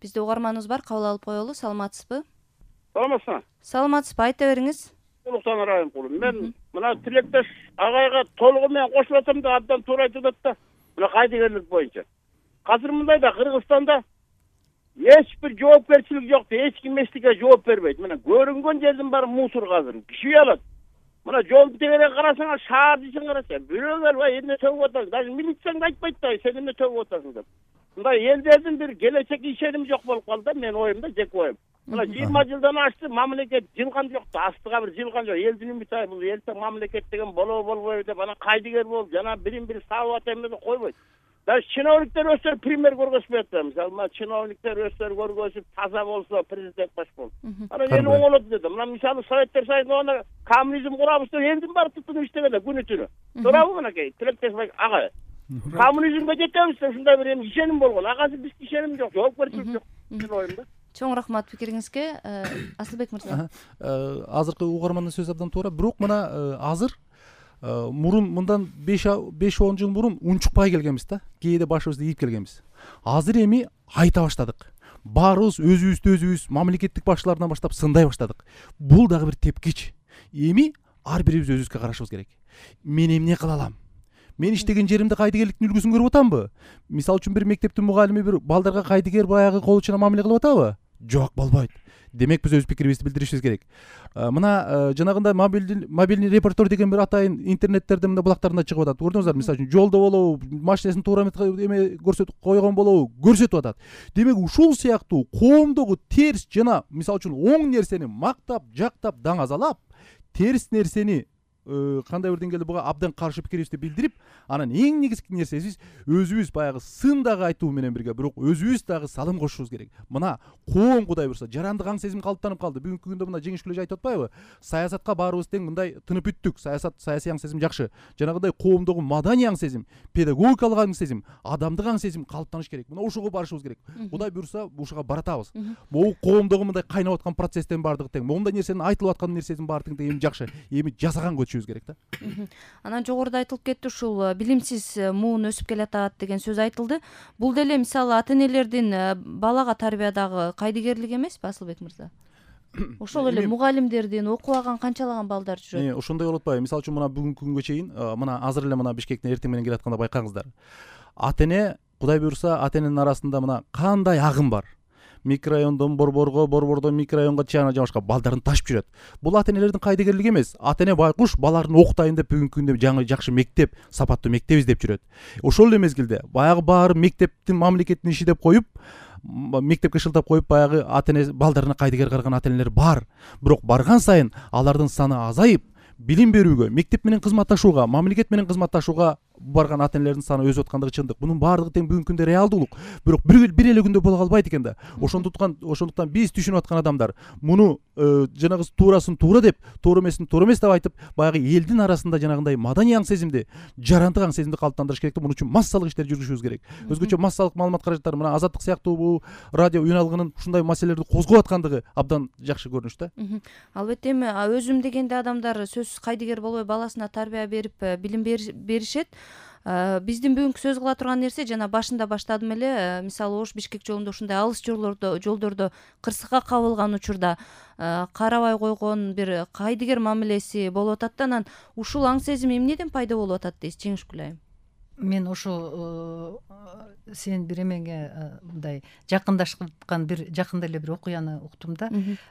Бизде угарманыбыз бар, кабыл алып коелу. Саламатсызбы? Саламатсызбы? Саламатсызбы, айта бериңиз. Улуктан Райымкулов. Мен мына тилектеш агайга толугу менен кошулуп атам да, абдан туура айтып атат да. Мына кайдыгерлик боюнча. Азыр мындай да Кыргызстанда эч бир жоопкерчилик жок да, эч ким эчтеке жооп бербейт. Мына көрүнгөн жердин баары мусор азыр. Киши алат. Мына жолду тегерек карасаңар, шаар ишин караса, бирөөлөр бай эмне төгүп атат. Даже милицияң да айтпайт да, сен эмне төгүп атасың деп. Мындай элдердин бир келечек ишеними жок болуп калды да, менин оюмда, жеке оюм. Мына 20 жылдан ашты, мамлекет жылган жок да, астыга бир жылган жок. Элдин үмүтү ай, бул элтең мамлекет деген болобойбу деп, анан кайдыгер болуп, жана бирин-бири сабап атам койбойт. Даже чиновниктер өздөрү пример көргөзбөйт да. Мисалы, чиновниктер өздөрү көргөзүп, таза болсо президент баш болот. Анан эл оңолот деди. Мына мисалы Советтер Союзунда коммунизм курабыз деп элдин баары туттунуп иштегенде күнү түнү. Туурабы мынакей? Тилектеш ага. Коммунизмге жетебиз деп ушундай бир эми ишеним болгон. Агасы биз ишеним жок, жоопкерчилик жок. Менин оюмда. Чоң рахмат пикириңизге. Асылбек мырза. Азыркы угармандын сөзү абдан туура. Бирок мына азыр мурун мындан 5-10 жыл мурун унчукпай келгенбиз да. Кээде башыбызды ийип келгенбиз. Азыр эми айта баштадык. Баарыбыз өзүбүздү мамлекеттик башчылардан баштап сындай баштадык. Бул дагы бир тепкич. Эми ар бирибиз өзүбүзгө карашыбыз керек. Мен эмне кыла алам? Мен иштеген жеримде кайдыгерликтин үлгүсүн көрүп атамбы? Мисалы үчүн бир мектептин мугалими бир балдарга кайдыгер баягы кол учуна мамиле кылып атабы? Жок, болбойт. Демек биз өз пикирибизди билдиришибиз керек. Мына жанагындай мобильный репортер деген бир атайын интернеттерде мына булактарында чыгып атат. Көрдүңүздөр, мисалы үчүн жолдо болобу, машинесин туура эме көрсөтүп койгон болобу, көрсөтүп атат. Демек ушул сыяктуу коомдогу терс жана мисалы үчүн оң нерсени мактап, жактап, даңазалап, терс нерсени кандай бир деңгээлде буга абдан каршы пикирибизди билдирип, анан эң негизги нерсебиз өзүбүз баягы сын дагы айтуу менен бирге, бирок өзүбүз дагы салым кошушубуз керек. Мына коом Кудай буйрса жарандык аң сезим калыптанып калды. Бүгүнкү күндө мына Жеңиш Күлөж айтып атпайбы? Саясатка баарыбыз тең мындай тынып бүттүк. Саясий аң сезим жакшы. Жанагындай коомдогу маданий аң сезим, педагогикалык аң сезим, адамдык аң сезим калыптаныш керек. Мына ошого барышыбыз керек. Кудай буйрса ушуга баратабыз. Могу коомдогу мындай кайнап аткан процесстен баардыгы тең. Момундай нерсенин айтылып аткан нерсенин баардыгы тең эми жакшы. Эми жасаган керек да. Анан жогоруда айтылып кетти, ушул билимсиз муун өсүп келатат деген сөз айтылды. Бул деле мисалы ата-энелердин балага тарбиядагы кайдыгерлик эмеспи, Асылбек мырза? Ошол эле мугалимдердин, окубаган канчалаган балдар жүрөт. Ошондой болуп атпайбы? Мисалы үчүн мына бүгүнкү күнгө чейин, мына азыр эле мына Бишкектен эртең менен келатканда байкаңыздар. Ата-эне, Кудай буйрса, ата-эненин арасында мына кандай агым бар. Микрорайондон борбордон микрорайонго чейин жамашка балдарын ташып жүрөт. Бул ата-энелердин кайдыгерлиги эмес. Ата-эне байкуш баларын окутайын деп бүгүнкү күндө жаңы жакшы мектеп, сапаттуу мектеп издеп жүрөт. Ошол эле мезгилде баягы баары мектептин мамлекеттин иши деп коюп, мектепке шылтап коюп баягы ата-эне балдарына кайдыгер караган ата-энелер бар. Бирок барган сайын алардын саны азайып, билим берүүгө, мектеп менен кызматташууга, мамлекет менен кызматташууга барган ата-энелердин саны өсүп аткандыгы чындык. Мунун баардыгы тең бүгүнкү күндө реалдуулук. Бирок бир эле күндө боло калбайт экен да. Ошондуктан биз түшүнүп аткан адамдар муну жанагы туурасын туура деп, туура эмесин туура эмес деп айтып, баягы элдин арасында жанагындай маданий аң сезимди, жарандык аң сезимди калыптандырыш керек. Муну үчүн массалык иштер жүргүзүшүбүз керек. Өзгөчө массалык маалымат каражаттары мына Азаттык сыяктуу бул радио үналыгынын ушундай маселелерди козгоп аткандыгы абдан жакшы көрүнүш да. Албетте эми өзүм дегенде адамдар сөзсүз кайдыгер болбой баласына тарбия берип, билим беришет. Биздин бүгүнкү сөз кыла турган нерсе жана башында баштадым эле, мисалы Ош Бишкек жолунда ушундай алыс жолдордо кырсыкка кабылган учурда карабай койгон бир кайдыгер мамилеси болуп атат да, анан ушул аң сезим эмнеден пайда болуп атат дейсиз, Жеңиш Күлайым? Мен ошо сен бир эмеңе мындай жакындаткан бир жакында эле бир окуяны уктум да.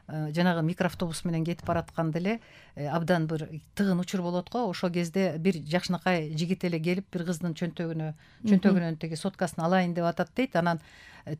Жанагы микроавтобус менен кетип баратканда эле абдан бир тыгын учур болот го. Ошол кезде бир жакшынакай жигит эле келип бир кыздын чөнтөгүнөн тиги соткасын алайын деп атат дейт. Анан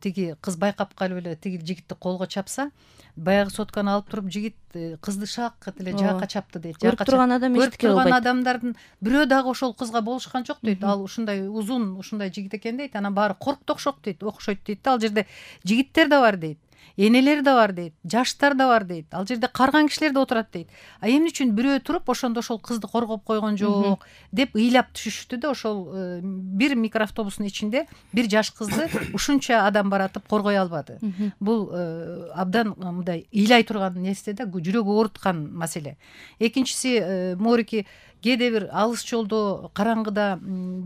тиги кыз байкап калып эле тиги жигитти колго чапса, баягы сотканы алып туруп жигит кызды шаккат эле жаакка чапты дейт. Көрүп турган адам эчтеке кылбайт. Көрүп турган адамдардын бирөө дагы ошол кызга болушкан жок дейт. Ал ушундай узун, ушундай жигит экен дейт. Анан баары коркту окшойт дейт да. Ал жерде жигиттер да бар дейт. Энелер да бар дейт, жаштар да бар дейт. Ал жерде карган кишилер да отурат дейт. А эмне үчүн бирөө туруп ошондо ошол кызды коргоп койгон жок деп ыйлап түшүштү да. Ошол бир микроавтобустун ичинде бир жаш кызды ушунча адам баратып коргой албады. Бул абдан мындай ыйлай турган нерсе да, жүрөгү ооруткан маселе. Экинчиси, Морики кээде бир алыс жолдо караңгыда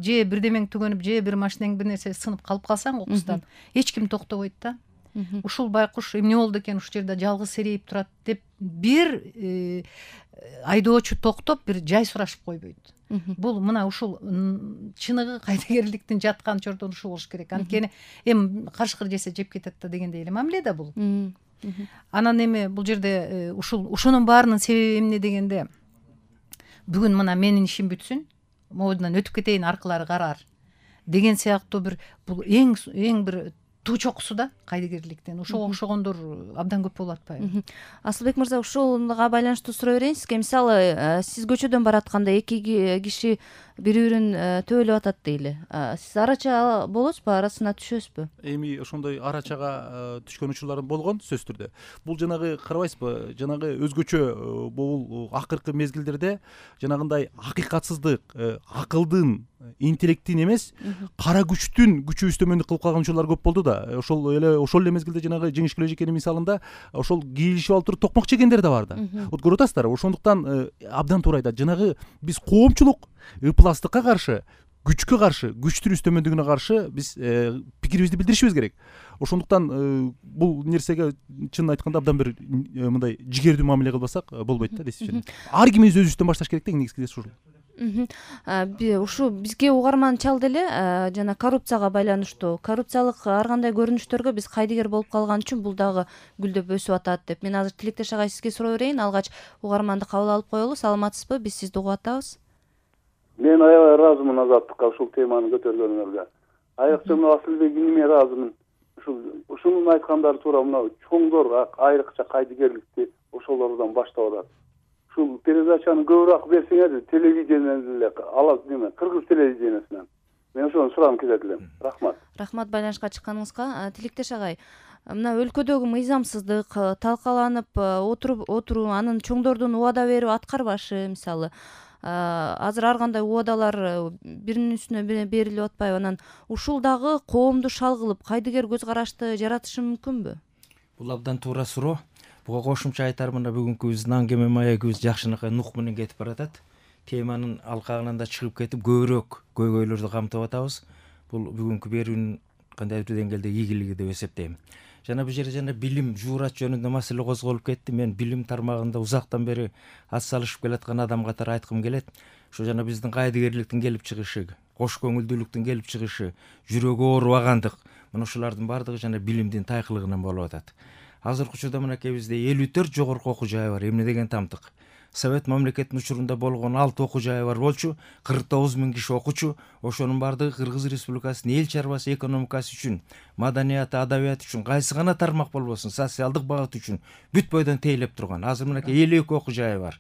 же бирдемең түгөнүп, же бир машинең бир нерсе сынып калып калсаң окустан, эч ким токтобойт да. ушул байкуш эмне болду экен ушул жерде жалгыз серейип турат деп бир айдоочу токтоп бир жай сурашып койбойт. Бул мына ушул чыныгы кайдыгерликтин жаткан чордон ушул болуш керек. Анткени эми карышкыр жесе жеп кетет да дегендей эле мамиле да бул. Анан эми бул жерде ушунун баарынын себеби эмне дегенде, бүгүн мына менин ишим бүтсүн, могудан өтүп кетейин, аркылары карар деген сыяктуу бул эң бир туу чокусу да кайдыгерликтин. Ошого окшогондор абдан көп болуп атпайбы? Асылбек мырза, ушуга байланыштуу сурай берейин сизге. Мисалы, сиз көчөдөн баратканда эки киши бири-бирин төбөлөп атат дейли. Сиз арача болосузбу, арасына түшөсүзбү? Эми ошондой арачага түшкөн учурларым болгон, сөзсүз түрдө. Бул жанагы карабайсызбы, жанагы өзгөчө бул акыркы мезгилдерде жанагындай акыйкатсыздык, акылдын, интеллекттин эмес, кара күчтүн күчү үстөмөндүк кылып калган учурлар көп болду да. Ошол эле мезгилде жанагы Жеңиш Күлөжекенин мисалында ошол кийлишип алып туруп токмок жегендер да бар да. Вот көрүп атасыздар, ошондуктан абдан туура айтат. Жанагы биз коомчулук ыпластыкка каршы, күчкө каршы, күчтүн үстөмөндүгүнө каршы биз пикирибизди билдиришибиз керек. Ошондуктан бул нерсеге чынын айтканда абдан бир мындай жигердүү мамиле кылбасак болбойт да, дейсизби? Ар кимибиз өзүбүздөн башташ керек да, негизгиси ушул. Ушу бизге угарман чалды эле жана коррупцияга байланыштуу. Коррупциялык ар кандай көрүнүштөргө биз кайдыгер болуп калган үчүн бул дагы гүлдөп өсүп атат деп. Мен азыр Тилектеш агай сизге суроо берейин, алгач угарманды кабыл алып коелу. Саламатсызбы? Биз сизди угуп атабыз. Мен аябай ыраазымын Азаттыкка ушул теманы көтөргөнүңөргө. Айрыкча мына Асылбек иниме ыраазымын. Ушунун айткандары туура. Мына чоңдор айрыкча кайдыгерликти ошолордон баштап атат. Ушул передачаны көбүрөөк берсеңер, телевидениеден эле алат неме, кыргыз телевидениясынан. Мен ошону сурагым келет элем. Рахмат. Рахмат байланышка чыкканыңызга. Тилектеш агай, мына өлкөдөгү мыйзамсыздык талкаланып отуруу, анын чоңдордун убада берип аткарбашы, мисалы, азыр ар кандай убадалар биринин үстүнө берилип атпайбы? Анан ушул дагы коомду шал кылып, кайдыгер көз карашты жаратышы мүмкүнбү? Бул абдан туура суроо. Буга кошумча айтар, мына бүгүнкү биздин аңгеме маегибиз жакшынакай нук менен кетип баратат. Теманын алкагынан да чыгып кетип, көбүрөөк көйгөйлөрдү камтып атабыз. Бул бүгүнкү берүүнүн кандайдыр деңгээлде ийгилиги деп эсептейм. Жана бул жерде жана билим, жуурат жөнүндө маселе козголуп кетти. Мен билим тармагында узактан бери ат салышып келаткан адам катары айткым келет. Ошо жана биздин кайдыгерликтин келип чыгышы, кош көңүлдүүлүктүн келип чыгышы, жүрөгү оорубагандык, мына ушулардын баардыгы жана билимдин тайкылыгынан болуп атат. Азыркы учурда мынакей бизде 54 жогорку окуу жайы бар. Эмне деген тамтык. Совет мамлекетинин учурунда болгон 6 окуу жайы бар болчу, 49 000 киши окучу. Ошонун баардыгы Кыргыз Республикасынын эл чарбасы, экономикасы үчүн, маданияты, адабияты үчүн, кайсы гана тармак болбосун, социалдык багыт үчүн бүт бойдон тейлеп турган. Азыр мынакей 52 окуу жайы бар.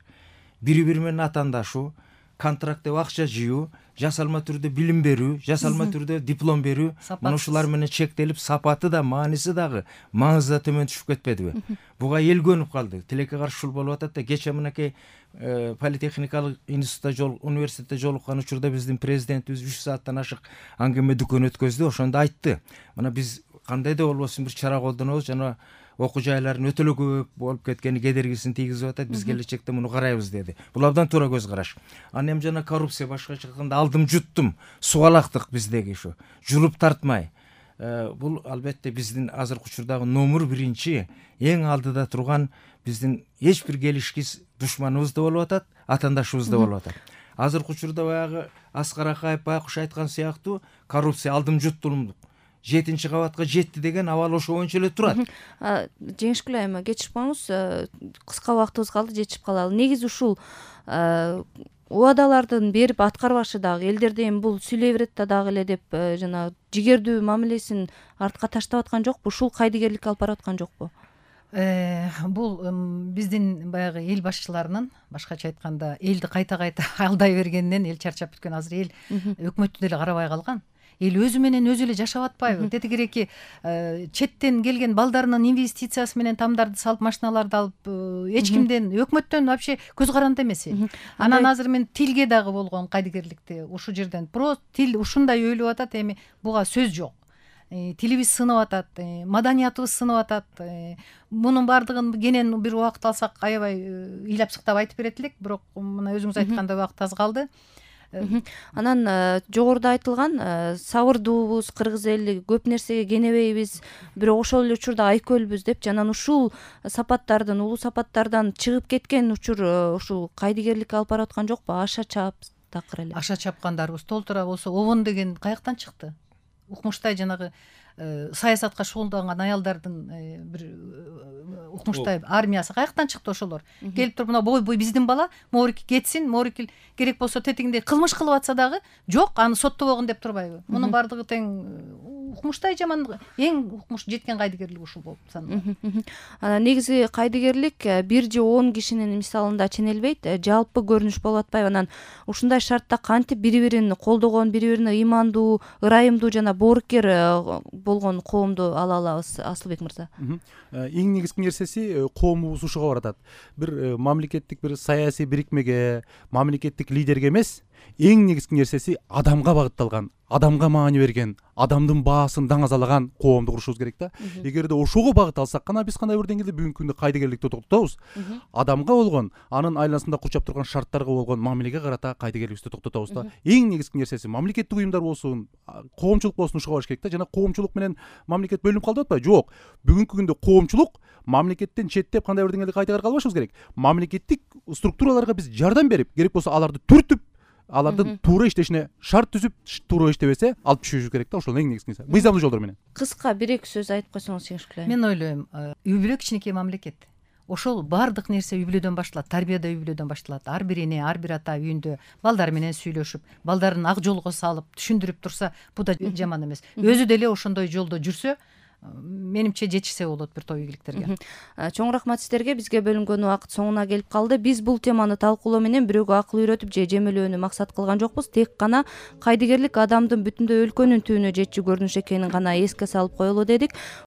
Бири-бири менен атаандашуу, контракт деп акча жыюу, жасалма түрдө билим берүү, жасалма түрдө диплом берүү, мына ушулар менен чектелип, сапаты да, мааниси дагы, маңызы да төмөн түшүп кетпедиби? Буга эл көнүп калды. Тилекке каршы ушул болуп атат да. Кече мынакей политехникалык институтта университетте жолуккан учурда биздин президентибиз 3 сааттан ашык аңгеме дүкөн өткөздү. Ошондо айтты. Мына биз кандай да болбосун бир чара колдонобуз, жана окуу жайлардын өтө эле көп болуп кеткени кедергисин тийгизип атат. Биз келечекте муну карайбыз деди. Бул абдан туура көз караш. Анан эми жана коррупция башкача айтканда алдым жуттум, субалактык биздеги ушу. Жулуп тартмай. Бул албетте биздин азыркы учурдагы номер 1 эң алдыда турган биздин эч бир келишкис душманыбыз да болуп атат, атаандашыбыз да болуп атат. Азыркы учурда баягы Аскар Акаев байкуш айткан сыяктуу коррупция алдым жуттулумдук 7-чи кабатка жетти деген абал ошо боюнча эле турат. Жеңиш Күлөйм, кечип коюңуз, кыска убактыбыз калды, жетишип калалы. Негизи ушул убадалардын берип аткарбашы дагы элдерде эми бул сүйлөй берет да дагы эле деп жана жигердүү мамилесин артка таштап аткан жокпу? Ушул кайдыгерликке алып барып аткан жокпу? Бул биздин баягы эл башчыларынын, башкача айтканда, элди кайта-кайта алдай бергенинен эл чарчап бүткөн. Азыр эл өкмөттү деле карабай калган. Эл өзү менен өзү эле жашап атпайбы? Тетигиреки четтен келген балдарынын инвестициясы менен тамдарды салып, машиналарды алып, эч кимден, өкмөттөн вообще көз каранды эмес. Анан азыр мен тилге дагы болгон кайдыгерликти ушу жерден просто тил ушундай өйлөп атат, эми буга сөз жок. Тилибиз сынып атат, маданиятыбыз сынып атат. Мунун баардыгын кенен бир убакыт алсак аябай ыйлап сыктап айтып берет элек, бирок мына өзүңүз айткандай убакыт аз калды. Анан жогоруда айтылган сабырдуубуз, кыргыз эли көп нерсеге кенебейбиз, бирок ошол эле учурда айкөлбүз депчи. Анан ушул сапаттардан, улуу сапаттардан чыгып кеткен учур ушул кайдыгерликке алып бараткан жокпу? Аша чап такыр эле. Аша чапкандарыбыз толтура болсо обон деген каяктан чыкты? Укмуштай жанагы саясатка шугулданган аялдардын бир укмуштай армиясы каяктан чыкты ошолор? Келип туруп мына бой биздин бала моорики кетсин, моорики керек болсо тетигинде кылмыш кылып атса дагы жок, аны соттобогун деп турбайбы? Мунун баардыгы тең укмуштай жаман, эң укмуш жеткен кайдыгерлик ушул болуп саналат. Анан негизи кайдыгерлик 1 же 10 кишинин мисалында ченелбейт, жалпы көрүнүш болуп атпайбы? Анан ушундай шартта кантип бири-бирин колдогон, бири-бирине ыймандуу, ырайымдуу жана боорукер болгон коомду ала алабыз, Асылбек мырза? Эң негизги нерсеси коомубуз ушуга баратат. Бир мамлекеттик бир саясий бирикмеге, мамлекеттик лидерге эмес, эң негизги нерсеси адамга багытталган, адамга маани берген, адамдын баасын даңазалаган коомду курушубуз керек да. Эгерде ошого багыт алсак гана биз кандай бир деңгээлде бүгүнкү күндө кайдыгерликти токтотобуз. Адамга болгон, анын айланасында курчап турган шарттарга болгон мамилеге карата кайдыгерликти токтотобуз да. Эң негизги нерсеси мамлекеттик уюмдар болсун, коомчулук болсун, ушуга барыш керек да. Жана коомчулук менен мамлекет бөлүнүп калды деп атпайбы? Жок. Бүгүнкү күндө коомчулук мамлекеттен четтеп кандай бир деңгээлде кайдыгер калбашыбыз керек. Мамлекеттик структураларга биз жардам берип, керек болсо аларды түртүп, алардын туура иштешине шарт түзүп, туура иштебесе алып түшүрүш керек да. Ошол эң негизгиси. Мыйзамдуу жолдор менен. Кыска 1-2 сөз айтып койсоңуз жеңишкилейм. Мен ойлойм, үй бүлө кичинекей мамлекет. Ошол баардык нерсе үй бүлөдөн башталат, тарбия да үй бүлөдөн башталат. Ар бир эне, ар бир ата үйүндө балдары менен сүйлөшүп, балдарын ак жолго салып, түшүндүрүп турса, бул да жаман эмес. Өзү деле ошондой жолдо жүрсө, менимче жетишсе болот бир топ ийгиликтерге. Чоң рахмат сиздерге. Бизге бөлүнгөн убакыт соңуна келип калды. Биз бул теманы талкуулоо менен бирөөгө акыл үйрөтүп же жемелөөнү максат кылган жокпуз. Тек гана кайдыгерлик адамдын бүтүндөй өлкөнүн түбүнө жетчү көрүнүш экенин гана эске салып коелу дедик.